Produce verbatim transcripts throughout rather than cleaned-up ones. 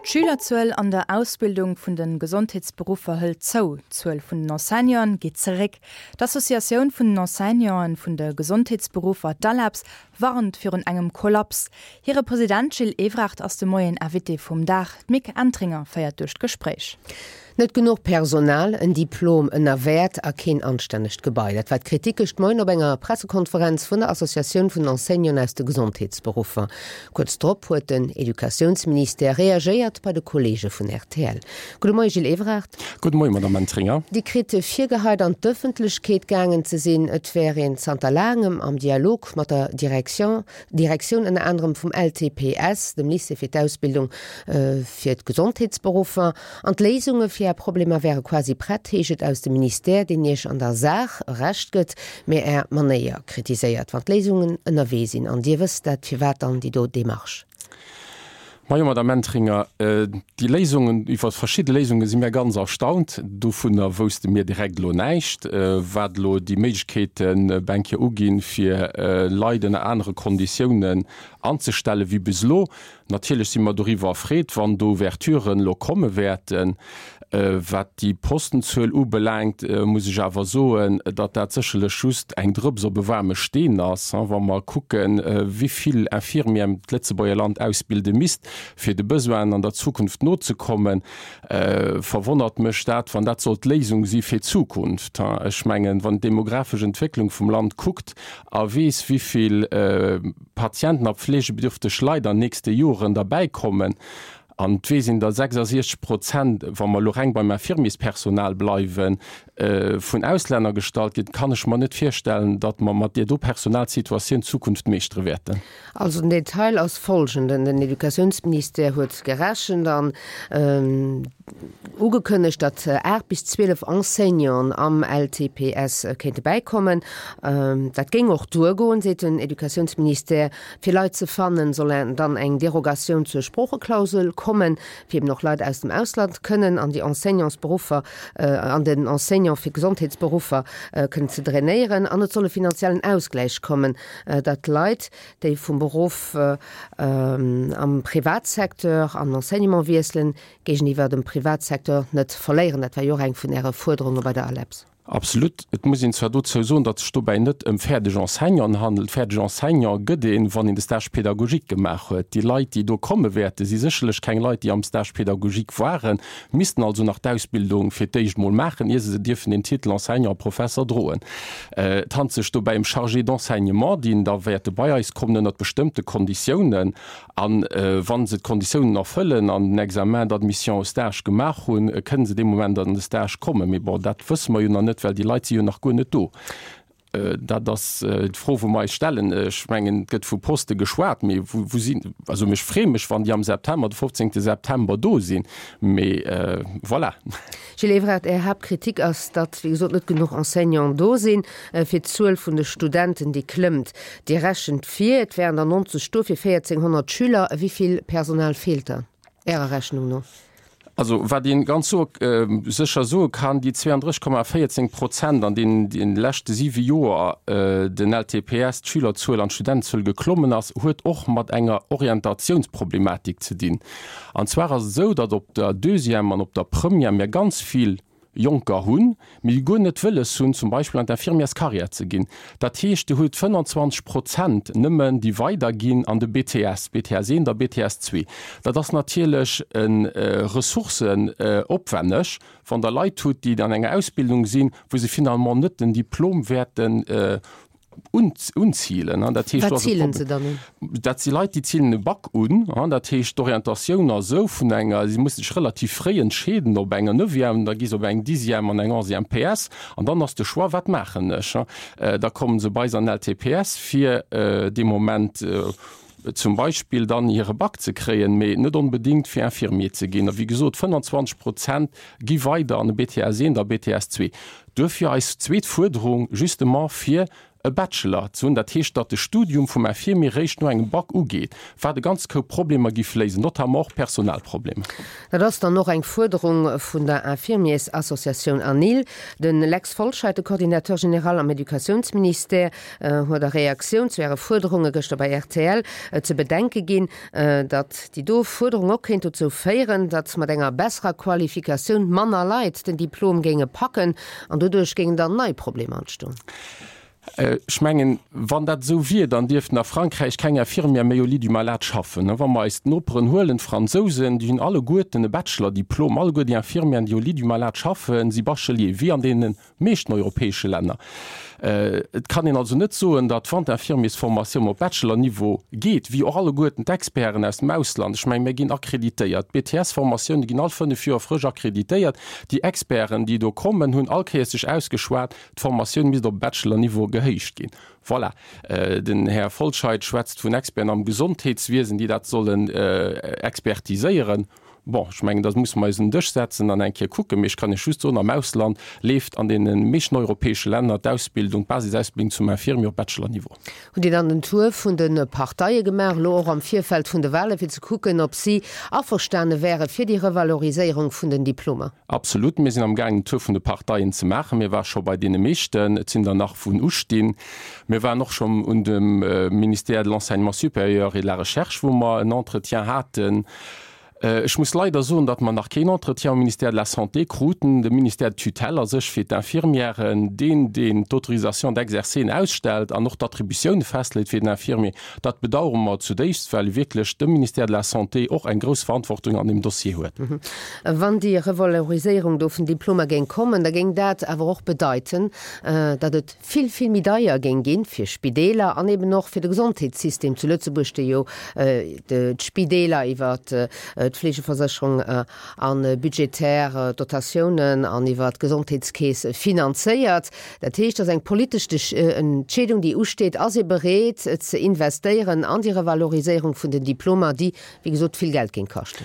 D'Schülerzuel an der Ausbildung vun de Gesondheetsberuffer hëlt zou, d'Zuel vun den Enseignanten geet zeréck. D'Associatioun vun den Enseignanten vun de Gesondheetsberuffer, d'ALEPS, warnt virun engem Kollaps. Hire President Gilles Evrard ass de Moien Invité vum Dag. D'Mick Entringer féiert duerch d'Gespréich. Net genuch Personal, en Diplom ënner Wäert a keen anstännegt Gebai. Dat war d'Kritik gëscht Moien op enger Pressekonferenz vun der Associatioun vun Enseignanten aus de Gesondheetsberuffer. Kuerz drop huet den Educatiounsministère reagéiert bei de Kolleege vun rtl. Gudde Moie Gilles Evrard. Gudde Moie Madame Entringer. Dir kritt virgeheit an d'Ëffentlechkeet gaangen ze sinn, et wär een zanter laangem am Dialog mat der Direction, Direktioun ënner anerem vum LTPS, dem Lycée fir d'Ausbildung fir d'Gesondheetsberuffer. An d'Léisunge fir Är Problemer wäre quasi prett, heescht et aus dem Ministère, deen Iech an der Saach Recht gëtt, mee Är Manéier kritiséiert. Wann d'Léisungen ënnerwee sinn an Dir wësst dat, firwat dann déi do Demarche? Majo, Madame Entringer, déi Léisungen, iwwer verschidde Léisunge si mir ganz erstaunt. Dovunner wousste mir direkt elo näischt, wat elo déi Méiglechkeeten eng Kéier uginn, fir Leit ënner anere Konditiounen anzestellen wéi bis elo. Natierlech si mer doriwwer erfreet, wann do Ouverturen elo komme wäerten. Wat déi Postenzuel ubelaangt, muss ech awer soen, datt dat sécherlech just eng Drëps op e waarme Steen ass. Wa mer kucken, wéi vill Infirmieren d'Lëtzebuerger Land ausbilde misst, fir de Besoinen an der Zukunft nozekommen, verwonnert mech dat, wann dat soll d'Léisung si fir d'Zukunft. Ech mengen, wann d'demografesch Entwécklung vum Land kuckt a weess, wéi vill Patienten a pflegebedürfteg Leit an nächste Joren derbäikommen, An et weess een, datt sechsasiechzeg Prozent, wa mer elo reng beim Infirmierspersonal bleiwen, vun Auslänner gestallt ginn, kann ech mer net virstellen, datt mer mat deer do Personalsituatioun d'Zukunft meeschtere wäerten. Also den Detail ass folgenden, Den Educatiounsministère huet gerechent an ugekënnegt, datt aacht bis zwielef Enseignanten am LTPS kéinte bäikommen. Dat géing och duergoen, seet den Educatiounsministère. Fir Leit ze fannen, soll dann eng Derogatioun zur Sproocheklausel kommen, fir eben och Leit aus dem Ausland kënnen an déi Enseignantsberuffer, an den Enseignant fir Gesondheetsberuffer kënnen ze drainéieren. An et soll e finanziellen Ausgläich kommen, datt Leit, déi vum Beruff am Privatsecteur an den Enseignement wiesselen, géigeniwwer dem Privatsecteur net verléieren. Dat war jo och eng vun Äre Fuerderunge bei der ALEPS. Absolut. Et muss een zwar dozou soen, datt sech dobäi net ëm fäerdeg Enseignanten handelt. Fäerdeg Enseignant gëtt een, wann een de Stage pédagogique gemaach huet. Déi Leit, déi do komme wäerten, si sécherlech keng Leit, déi am Stage pédagogique waren, missten also nach d'Ausbildung fir d'éischt mol maachen, ier se dierfen den Titel Enseignant, Professer droen. Et handelt sech dobäi ëm Chargés d'enseignement, déi da wäerte bei eis kommen ënnert bestëmmte Konditiounen. A wa se d'Konditiounen erfëllen an den Examen d'admission au stage gemaach hunn, kënne se dee Moment an de Stage kommen. Mee bon, dat wësse mer jo nach net, well déi Leit si jo nach guer net do. Dat ass d'Fro, wou mer eis stellen. Ech mengen, et gëtt vu Poste geschwat, mee wou sinn, also ech freeë mech, wann déi am September, de fofzéngte September do sinn, mee voilà. Gilles Evrard, Är Haaptkritik ass, datt, wéi gesot, net genuch Enseignanten do sinn fir d'Zuel vun de Studenten, déi klëmmt. Dir rechent vir, et wären der neunzeg do fir véierzénghonnert Schüler. Wéi vill Personal feelt da Ärer Rechnung no? Also wat ee ganz sécher soe kann, déi zweiunddrësseg Komma véierzéng Prozent, an deenen déi leschte siwe Joer den L T P S, d'Schülerzuel an d'Studentenzuel geklommen ass, huet och mat enger Orientatiounsproblematik ze dinn. An zwar ass et esou, datt op der Deuxième an op der Première mir ganz vill Jonker hunn, mee déi guer net wëlles hunn, zum Beispill an d'Infirmièrscarrière ze ginn. Dat heescht, Dir hutt fënnanzwanzeg Prozent nëmmen, déi weiderginn an de B T S, B T S eent a B T S zwee. Dat ass natierlech ressourcenopwänneg, wann Der Leit hutt, déi an enger Ausbildung sinn, wou se finalement net den Diplom wäerten unzilen. Dat heescht, Wat zilen se dann un? Dat si Leit, déi zilen e Bac un. Dat heescht, d'Orientatioun ass esou vun enger, si musse sech relativ fréi entscheeden op enger Neuvième, da gi se op eng Dixième an eng Onzième P S an dann ass de Choix, wat maachen ech? Da kommen se bei eis an L T P S fir dee Moment zum Beispill dann hire Bac ze kréien, mee net onbedéngt fir Infirmier ze ginn. A wéi gesot, fënnanzwanzeg Prozent gi weider an de B T S eent a B T S zwee. Duerfir eis zweet Fuerderung, justement fir e Bachelor ze hunn, dat heescht, datt de Studium vum Infirmier réischt no engem Bac ugeet, wat e ganz Koup Problemer giff léisen, notamment och Personalproblemer. Dat ass dann och eng Fuerderung vun der Infirmiersassociatioun ANIL. De Lex Folscheid, de Coordinateur général am Educatiounsministère, huet a Reaktioun zu Äre Fuerderunge gëschter bei rtl ze bedenke ginn, datt déi do Fuerderung och kéint dozou féieren, datt mat enger besserer Qualifikatioun manner Leit den Diplom géinge packen an doduerch géingen dann nei Problemer entstoen. Ech mengen, wann dat esou wier, dann dierften a Frankräich keng Infirmière méi au lit du malade schaffen. Wa mer eis d'Noperen huelen, d'Fransousen, déi hunn alleguerten e Bachelor-Diplom, alleguer déi Infirmièren, déi au lit du malade schaffen, si Bachelier, wéi an deene meeschten europäesche Länner. Et kann een also net soen, datt wann d'Infirmiersformatioun op Bachelor-Niveau geet, wéi och alleguerten d'Experten aus dem Ausland, ech mengen, mir ginn akkreditéiert, d'BTS-Formatioune ginn all fënnef Joer frësch akkreditéiert, déi Experten, déi do kommen, hunn all Kéiers sech ausgeschwat, d'Formatioun misst op Bachelor-Niveau gehéicht ginn. Voilà. Den Här Folscheid schwätzt vun Experten am Gesondheetswiesen, déi dat sollen expertiséieren. Bon, ech mengen, da musse mer eis un den Dësch setzen an eng Kéier kucken. Mee ech kann Iech just soen, am Ausland leeft an deene meeschten europäesche Länner d'Ausbildung, d'Basisausbildung zum Infirmier op Bachelor-Niveau. Hutt Dir dann den Tour vun de Parteie gemaach, elo och am Virfeld vun de Wahlen, fir ze kucken, ob si averstane wäre fir déi Revaloriséierung vun den Diplomer? Absolut. Mir sinn am gaangen den Tour vun de Parteien ze maachen. Mir ware scho bei deene meeschten. Et sinn der nach wou ustinn. Mir waren och schonn un dem Ministère de l'Enseignement supérieur et de la Recherche, wou mer en Entretien haten. Ech muss leider soen, datt mer nach keen Entretien um Ministère de la Santé kruten. De Ministère de tutelle a sech fir d'Infirmièren, deen, deen d'Autorisation d'exercer ausstellt an och d'Attributioune festleet fir den Infirmier, dat bedauere mer zudéifst, well wierklech de Ministère de la Santé och eng grouss Verantwortung an deem Dossier huet. Wann déi Revaloriséierung do vun Diplomer géing kommen, da géing dat awer och bedeiten, datt et vill, vill méi deier géing ginn fir Spideeler an eben och fir de Gesondheetssystem zu Lëtzebuerg, dee jo d'Spideeler iwwer d'Fleegeversécherung a budgetär Dotatiounen an iwwer d'Gesondheetskeess finanzéiert. Dat heescht, et ass eng politesch Entscheedung, déi usteet. Ass ee bereet ze investéieren an déi Revaloriséierung vun den Diplomer, déi, wéi gesot, vill Geld géing kaschten?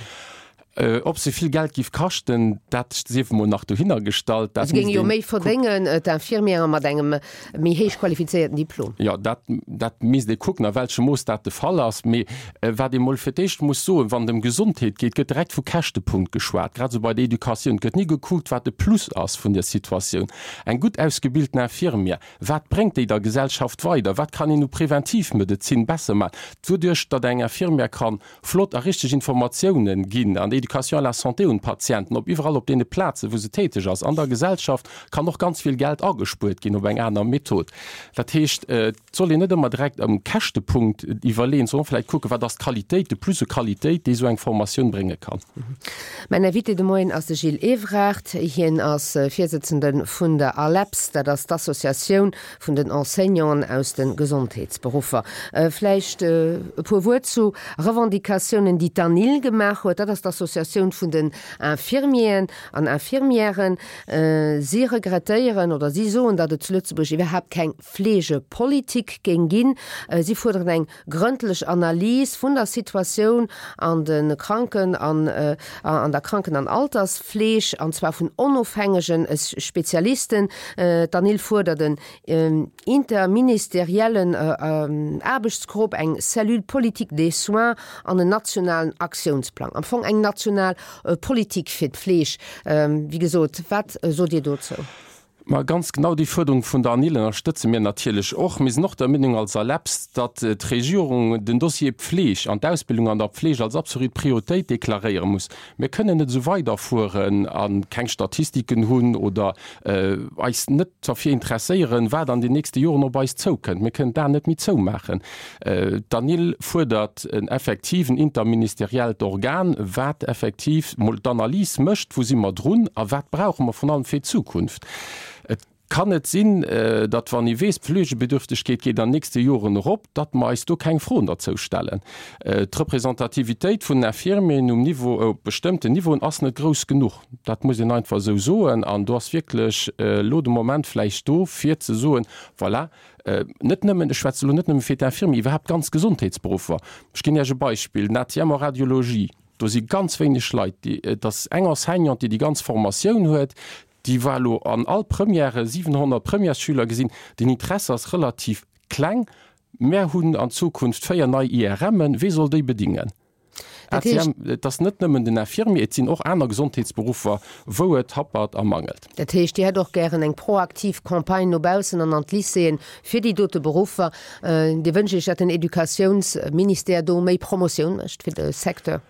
Ob se vill Geld giff kaschten, dat sief emol nach dohinner gestallt. Se géinge jo méi verdéngen, d'Infirmieren mat engem méi héich qualifizéierten Diplom. Jo, dat, dat misst ee kucken, a welchem Mooss dat de Fall ass. Mee wat ee mol fir d'éischt muss soen, Wann et ëm Gesondheet geet, gëtt direkt vu Käschtepunkt geschwat, grad esou bei der Educatioun. Et gëtt ni gekuckt, wat de Plus ass vun der Situatioun. Eng gutt ausgebilten Infirmière, wat bréngt déi der Gesellschaft weider? Wat kann een u Preventivmedezin besser maachen, doduerch datt eng Infirmière kann flott a richteg Informatiounen ginn an Éducation à la santé un d'Patienten, op iwwerall op deene Plazen, wou se täteg ass. An der Gesellschaft kann och ganz vill Geld agespuert ginn op eng aner Method. Dat heescht, et soll een net ëmmer direkt am Käschtepunkt iwwerleeën, sondern vläicht kucken, wat ass d'Qualitéit, de Plus u Qualitéit, déi esou eng Formatioun brénge kann. Mäin Invité de Moien ass de Gilles Evrard. Hien ass Virsëtzende vun der ALEPS, dat ass d'Associatioun vun den Enseignanten aus de Gesondheetsberuffer. Vläicht e puer Wuert zu Revendicatiounen, déi d'ANIL gemaach huet. Dat ass d'Associatioun vun den Infirmieren an Infirmièren. Si regrettéieren oder si soen, datt et zu Lëtzebuerg iwwerhaapt keng Fleegepolitik géing ginn. Si fuerderen eng grëndlech Analys vun der Situatioun an de Kranken an an der Kranken an Altersfleeg, an zwar vun onofhängege Spezialisten. D'ANIL fuerdert en interministeriellen Aarbechtsgrupp, eng Cellule politique des soins an en nationalen Aktiounsplang. Am Fong eng national Politik fir d'Fleeg. Wéi gesot, wat sot Dir dozou? Ma ganz genau déi Fuerderung vun der ANIL ënnerstëtze mir natierlech och. Mir sinn och der Meenung als ALEPS, datt d'Regierung den Dossier Pfleg an d'Ausbildung an der Pfleg als absolut Prioritéit deklaréiere muss. Mir kënnen net esou weiderfueren a keng Statistiken hunn oder eis net derfir interesséieren, wat an den nächste Joren op eis zoukënnt. Mir kënnen d'Aen net méi zoumaachen. D'ANIL fuerdert en effektiven interministeriellt Organ, wat effektiv mol d'Analys mécht, wou si mer drun a wat brauche mer vrun allem fir d'Zukunft. Et kann net sinn, datt wann ee weess, d'Fleegebedürftegkeet geet an nächste Joren erop, datt mer eis do keng Froen derzou stellen. D'Representativitéit vun den Infirmieren um Niveau, op bestëmmten Niveauen ass net grouss genuch. Dat muss een einfach esou soen. An do ass wierklech elo de Moment vläicht do, fir ze soen, voilà, net nëmmen, ech schwätze elo net nëmme fir d'Infirmier, iwwerhaapt ganz Gesondheetsberuffer. Ech ginn Iech e Beispill, den A T M en Radiologie, do si ganz wéineg Leit, déi, et ass eng Enseignante, déi déi ganz Formatioun huet, Déi war elo an all Premièrë siwenhonnert Premièresschüler gesinn. Den Interesse ass relativ kleng. Mär hunn an Zukunft véier nei I R Mën. Wee soll déi bedingen? Dat heescht. A C M, et ass net nëmmen den Infirmier, et sinn och aner Gesondheetsberuffer, wou et happert a mangelt. Dat heescht, Dir hätt och gären eng proaktiv Campagne no baussen an an d'Lycéeën fir déi dote Beruffer. Dir wënscht Iech, datt den Educatiounsministère do méi Promotioun mécht fir de Secteur?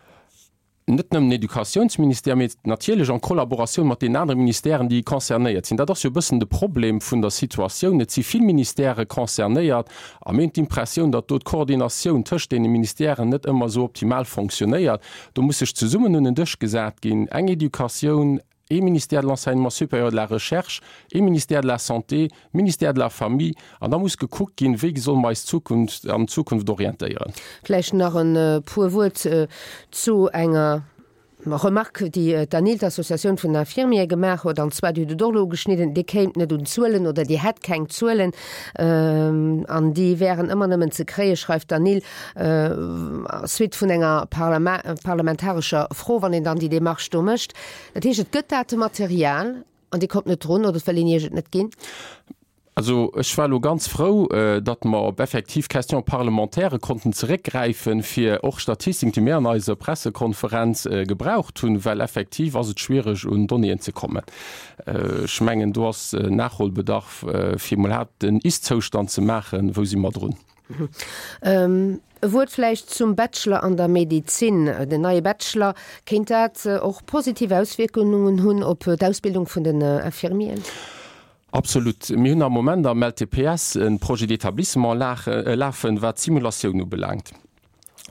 Net nëmmen den Educatiounsministère, mee natierlech en Kollaboratioun mat deenen anere Ministèren, déi concernéiert sinn. Dat ass jo e bëssen de Problem vun der Situatioun. Et si vill Ministèrë concernéiert a mir hunn d'Impressioun, datt do d'Koordinatioun tëscht deene Ministèren net ëmmer esou optimal fonctionnéiert. Do muss sech zesummen un en Dësch gesat ginn, eng Educatioun, ee Ministère de l'Enseignement supérieur et de la Recherche, ee Ministère de la Santé, Ministère de la Famille, an da muss gekuckt ginn, wéi solle mer eis Zukunft an Zukunft orientéieren. Vläicht nach e puer Wuert zu enger Remarque, déi d'ANIL, d'Associatioun vun den Infirmiere gemaach huet, an zwar, Dir hutt et och elo ugeschnidden, Dir kéimt net un Zuelen oder Dir hätt keng Zuelen an déi wären ëmmer nëmmen ze kréien, schreift d'ANIL, suite vun enger parlamentarescher Fro, wann een dann déi Démarche do mécht. Dat heescht, et gëtt Datematerial an Dir kommt net drun oder et wëll een Iech et net ginn? Also ech war elo ganz frou, datt mer op effektiv Questions parlementaires konnten zeréckgräifen, fir och Statistiken, déi mir an eiser Pressekonferenz gebraucht hunn, well effektiv ass et schwiereg un Donnéeën ze kommen. Ech mengen, do ass Nachholbedarf, fir emol iwwerhaapt den Ist-Zoustand ze maachen, wou si mer drun. E Wuert vläicht zum Bachelor an der Medezin, den neie Bachelor, kéint dat och positiv Auswierkungen hunn op d'Ausbildung vun den Infirmieren? Absolut. Mir hunn am Moment am L T P S e Projet d'établissement lafen, wat d'Simulatioun ubelaangt.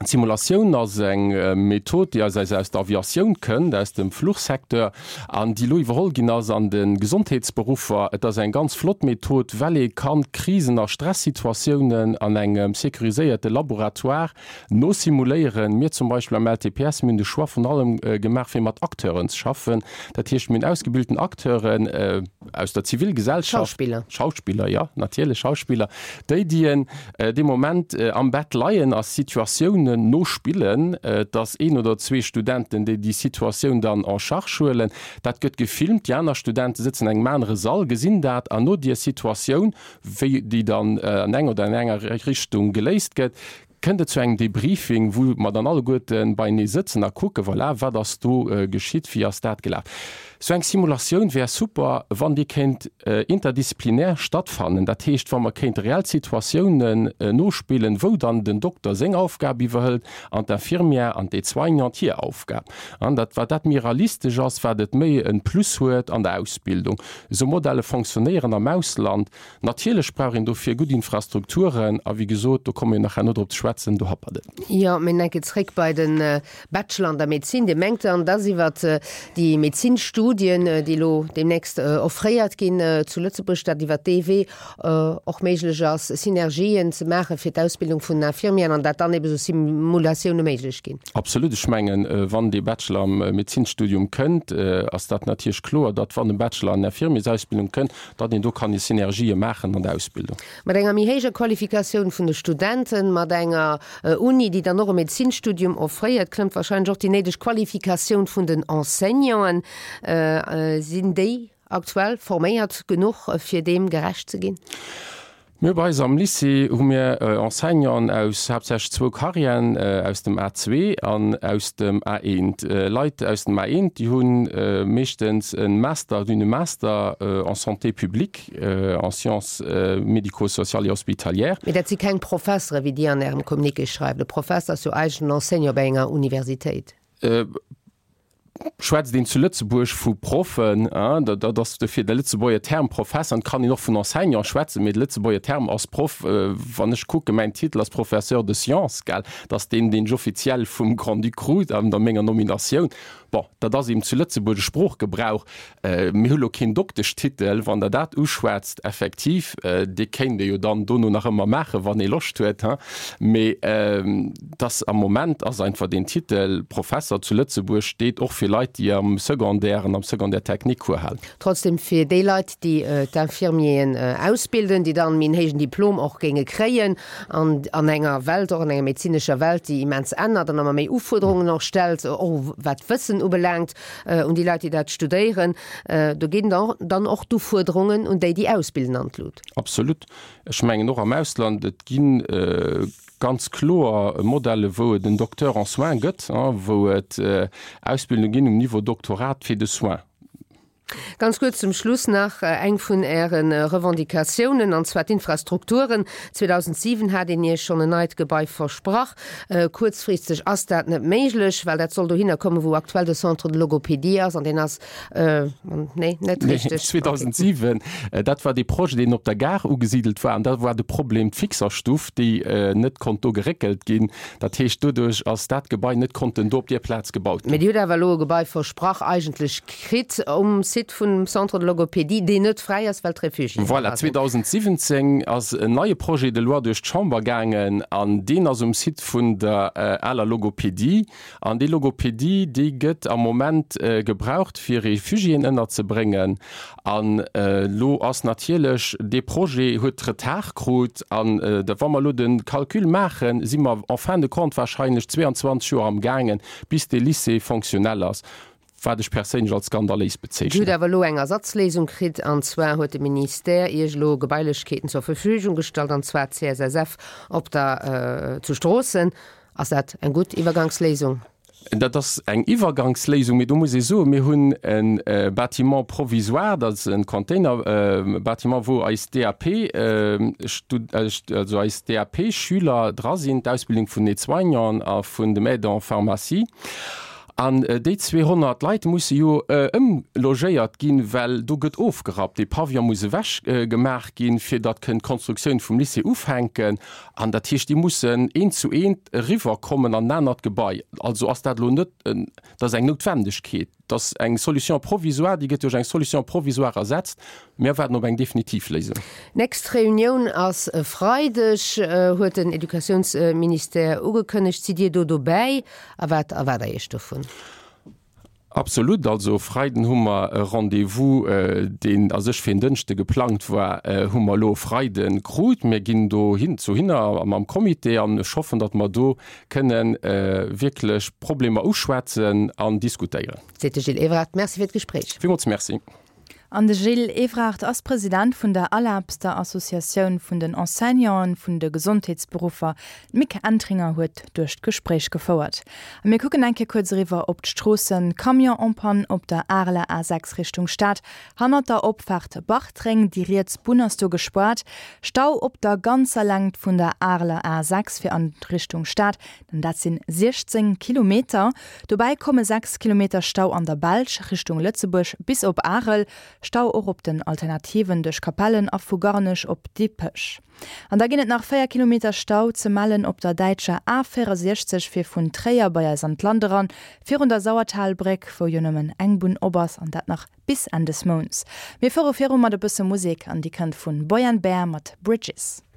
D'Simulatioun ass eng Method, déi aus aus der Aviatioun kënnt, aus dem Fluchsecteur, an déi elo iwwerholl ginn ass an de Gesondheetsberuffer. Et ass eng ganz flott Method, well ee kann Krisen a Stressituatiounen an engem sécuriséierte Laboratoire nosimuléieren. Mir zum Beispill am L T P S, mir hunn de Choix vun allem gemaach, fir mat Acteuren ze schaffen. Dat heescht, mir hunn ausgebilten Acteuren aus der Zivilgesellschaft. Schauspiller. Schauspiller, jo, natierlech Schauspiller, déi, déi dee Moment am Bett leien a Situatiounen nospillen, dass een oder zwee Studenten, déi déi Situatioun dann en charge huelen. Dat gëtt gefilmt, déi aner Studente sëtzen an engem anere Sall, gesinn dat, an no dier Situatioun, wéi déi dann an eng oder an enger Richtung geléist gëtt, kënnt et zu engem Debriefing, wou mer dann alleguerte beienee sëtzen a kucken, voilà, wat ass do geschitt, wéi ass dat gelaf. Sou eng Simulatioun wär super, wann déi kéint interdisziplinär stattfannen, dat heescht, wa mer kéinte reell Situatiounen nospillen, wou dann den Dokter seng Aufgab iwwerhëlt an d'Infirmière an d'Aide-soignante hir Aufgab. An dat, wat dat méi realistesch ass, wat et méi e Plus huet an der Ausbildung. Esou Modelle fonctionnéieren am Ausland. Natierlech brauch een dofir gutt Infrastrukturen a wéi gesot, do komme mir nach herno drop ze schwätzen, do happert et. Jo, mee enke zréck bei de Bachelor an der Medezin. Dir mengt dann, dass iwwert déi Medezinstudien, déi elo deemnächst offréiert ginn zu Lëtzebuerg, dat iwwert dee Wee och méiglech ass, Synergien ze maache fir d'Ausbildung vun Infirmieren an dat dann ebe sou Simulatioune méiglech ginn? Absolut. Ech mengen, wann dee Bachelor am Medezinstudium kënnt, ass dat natierlech kloer, datt wann e Bachelor an Infirmiersausbildung kënnt, datt een do kann déi Synergië maachen an der Ausbildung. Mat enger méi héijer Qualifikatioun vun de Studenten, mat enger Uni, déi dann och e Medezinstudium offréiert, klëmmt wahrscheinlech och déi néideg Qualifikatioun vun den Enseignanten. Sinn déi aktuell forméiert genuch, fir deem gerecht ze ginn? Mir bei eis am Lycée hu mir Enseignanten aus haaptsächlech zwou Carrièren, aus dem A zwee an aus dem A eent. Leit aus dem A eent, déi hu meeschtens e Master, déi hunn e Master en santé publique, en sciences médico-sociales et hospitalières. Mee dat si keng Professere wéi Dir an Ärem Communiqué schreift. E Professer ass jo eigentlech en Enseignant bei enger Universitéit. Schwätzt een zu Lëtzebuerg vu Proffen, dat ass dofir de Lëtzebuerger Term Professer, et kann een och vun Enseignant schwätzen, mee de Lëtzebuerger Term ass Proff. Wann ech kucken, mäin Titel ass Professeur de sciences, gell, dat ass deen, deen ech offiziell vum Grand-Duc krut an der menger Nominatioun. Bon, dat ass eben zu Lëtzebuerg e Sproochgebrauch. Mir hu lo keen Dokteschtitel, wann Der dat uschwätzt, effektiv, dee kéint ee jo dann dono nach ëmmer maachen, wann ee Loscht huet, hein. Mee dass am Moment ass einfach deen Titel Professer zu Lëtzebuerg steet och fir Leit, déi am Secondaire an am Secondaire technique Cours halen. Trotzdem fir déi Leit, déi d'Infirmieren ausbilden, déi dann méi en héijen Diplom och géinge kréien an an enger Welt, och an enger medezinescher Welt, déi immens ännert an ëmmer méi Ufuerderungen och stellt, och wat d'Wëssen ubelaangt, un déi Leit, déi dat studéieren, do ginn dann och d'Ufuerderungen un déi, déi ausbilden, an d'Lut. Absolut. Ech mengen och am Ausland, et gi ganz kloer Modelle wou et en Docteur en soins gëtt, wou et Ausbildunge ginn um Niveau Doctorat fir de Soins. Ganz kuerz zum Schluss nach eng vun Äre Revendicatiounen, an zwar d'Infrastrukturen. zweedausendsiwen hat een Iech schonn en neit Gebai versprach. Kuerzfristeg ass dat net méiglech, well dat soll dohinner kommen, wou aktuell de Centre de logopédie ass, an deen ass, nee, net richteg. zweedausendsiwen, dat war dee Projet, deen op der Gare ugesidelt war, an da war de Problem d'Fixerstuff, déi net konnt do geréckelt ginn. Dat heescht, doduerch ass dat Gebai net konnten do op där Plaz gebaut ginn. Mee Dir hutt awer elo e Gebai versprach, eigentlech kritt um Site vum Centre de logopédie, deen net fräi ass, well d'Refugiéen Voilà, dra sinn. zweedausendsiwwenzéng ass en neie Projet de loi duerch d'Chamber gaangen an deen ass um Site vun der aler Logopédie. An déi Logopédie, déi gëtt am Moment gebraucht, fir Refugiéen ënnerzebréngen. An elo ass natierlech dee Projet huet Retard krut. An da wa mer elo de Calcul maachen, si mer en fin de compte wahrscheinlech zweiundzwanzeg Joer amgaangen, bis dee Lycée fonctionnel ass, wat ech perséinlech als skandaléis Dir hutt bezeechnen. awer elo eng Ersatzléisung kritt, an zwar huet de Ministère Iech elo Gebailechkeeten zur Verfügung gestallt, an zwar d'CSSF op der zu Stroossen. Ass dat eng gutt Iwwergangsléisung? Dat ass eng Iwwergangsléisung, mee do muss ee soen, mir hunn e Bâtiment provisoire, dat ass e Containerbâtiment, wou eis D A P, also eis D A P-Schüler dra sinn, d'Ausbildung vun den Aide-soignanten a vun dem Aide en pharmacie. An déi zweehonnert Leit musse jo ëmlogéiert ginn, well do gëtt ofgerappt, dee Pavillon muss ewech gemaach ginn, fir datt kënnt d'Konstruktioun vum Lycée ufänken. An dat heescht, déi mussen eent zu eent eriwwer kommen an en anert Gebai. Also ass dat elo net, dat ass eng Noutwendegkeet, dat ass eng Solution provisoire, déi gëtt duerch eng Solution provisoire ersetzt. Mir waarden op eng definitiv Léisung. Nächst Reunioun ass e Freideg, huet den Educatiounsministère ugekënnegt. Sidd Dir do dobäi a wat erwaart Der Iech dovun? Absolut. Also e Freiden hu mer e Rendez-vous, deen a sech fir en Dënschde geplangt war, hu mer elo e Freide krut. Mir ginn do hin zu hinner mam Comité an ech hoffen, datt mer do kënne wierklech Problemer uschwätzen an diskutéieren. Seet de Gilles Evrard. Merci fir d'Gespréich. Villmools Merci. An de Gilles Evrard ass President vun der ALAPS, der Associatioun vun den Enseignanten vun de Gesondheetsberuffer. D'Mick Entringer huet duerch d'Gespréich gefouert. A mir kucken eng Kéier kuerz eriwwer op d'Stroossen. Camion en panne op der Areler A sechs Richtung Stad, hannert der Opfaart Bartreng, déi riets Bunn ass do gespaart. Stau op der ganzer Längt vun der Areler A sechs fir an Richtung Stad, an dat sinn siechzéng Kilometer. Dobäi komme sechs Kilometer Stau an der Belsch Richtung Lëtzebuerg bis op Arel. Stau och op den Alternativen duerch Capellen a vu Garnech op Dippech. An da ginn et nach véier Kilometer Stau ze mellen op der däitscher A véierundsechzeg fir vun Tréier bei eis an d'Land eran, virun der Sauertalbréck, wou jo nëmmen eng Bunn op ass, an dat nach bis Enn des Mounts. Mir fuere viru mat e bësse Musek an déi kënnt vun Boy and Bear mat Bridges.